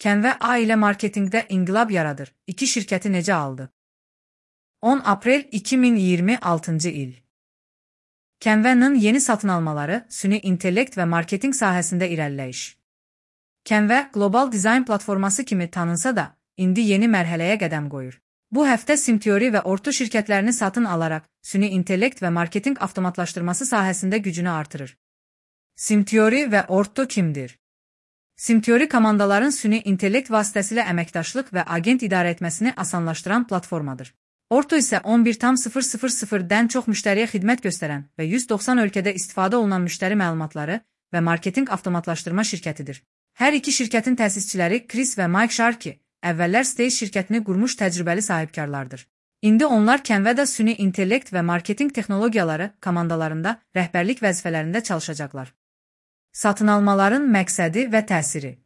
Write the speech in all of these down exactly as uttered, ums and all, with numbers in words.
Canva ailə marketinqdə inqilab yaradır. İki şirkəti necə aldı? on aprel iki min iyirmi altıncı il. Canva'nın yeni satın almaları, süni intellekt və marketinq sahəsində irəliləyiş. Canva, qlobal dizayn platforması kimi tanınsa da, indi yeni mərhələyə qədəm qoyur. Bu həftə SimTheory və Orto şirkətlərini satın alaraq, süni intellekt və marketinq avtomatlaşdırması sahəsində gücünü artırır. SimTheory və Orto kimdir? SimTheory komandaların süni intellekt vasitəsilə əməkdaşlıq və agent idarə etməsini asanlaşdıran platformadır. Orto isə on bir min çox müştəriyə xidmət göstərən və yüz doxsan ölkədə istifadə olunan müştəri məlumatları və marketinq avtomatlaşdırma şirkətidir. Hər iki şirkətin təsisçiləri Chris və Mike Sharkey, əvvəllər Stage şirkətini qurmuş təcrübəli sahibkarlardır. İndi onlar Canva'da süni intellekt və marketinq texnologiyaları komandalarında rəhbərlik vəzifələrində çalışacaqlar. Satın almaların məqsədi və təsiri.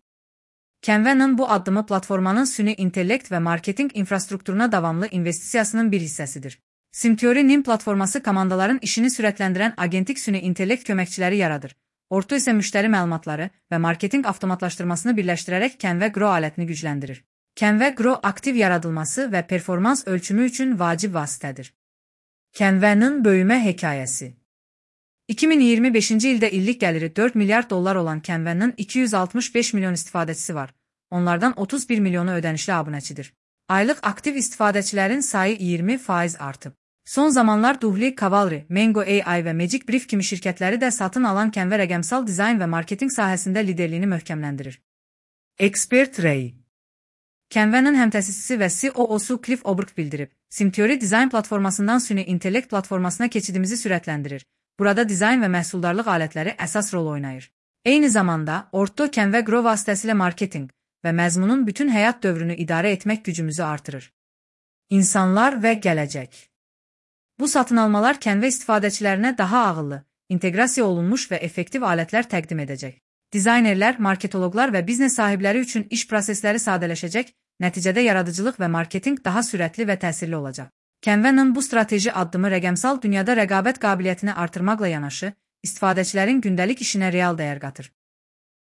Canva'nın bu addımı platformanın süni intellekt və marketinq infrastrukturuna davamlı investisiyasının bir hissəsidir. SimTheory-nin platforması komandaların işini sürətləndirən agentik süni intellekt köməkçiləri yaradır. Orto isə müştəri məlumatları və marketinq avtomatlaşdırmasını birləşdirərək Canva Grow alətini gücləndirir. Canva Grow aktiv yaradılması və performans ölçümü üçün vacib vasitədir. Canva'nın böyümə hekayəsi. iki min iyirmi beşinci ildə illik gəliri dörd milyard dollar olan Canva'nın iki yüz altmış beş milyon istifadəçisi var. Onlardan otuz bir milyonu ödənişli abunəçidir. Aylıq aktiv istifadəçilərin sayı iyirmi faiz artıb. Son zamanlar Duhli, Cavalry, Mango A I və Magic Brief kimi şirkətləri də satın alan Canva rəqəmsal dizayn və marketinq sahəsində liderliyini möhkəmləndirir. Expert Ray. Canva'nın həmtəsisçisi və C E O-su Cliff Oberg bildirib, SimTheory dizayn platformasından süni intellekt platformasına keçidimizi sürətləndirir. Burada dizayn və məhsuldarlıq alətləri əsas rol oynayır. Eyni zamanda, Orto Canva Grow vasitəsilə marketinq və məzmunun bütün həyat dövrünü idarə etmək gücümüzü artırır. İnsanlar və gələcək. Bu satın almalar Canva istifadəçilərinə daha ağıllı, inteqrasiya olunmuş və effektiv alətlər təqdim edəcək. Dizaynerlər, marketoloqlar və biznes sahibləri üçün iş prosesləri sadələşəcək, nəticədə yaradıcılıq və marketinq daha sürətli və təsirli olacaq. Canva'nın bu strateji addımı rəqəmsal dünyada rəqabət qabiliyyətini artırmaqla yanaşı, istifadəçilərin gündəlik işinə real dəyər qatır.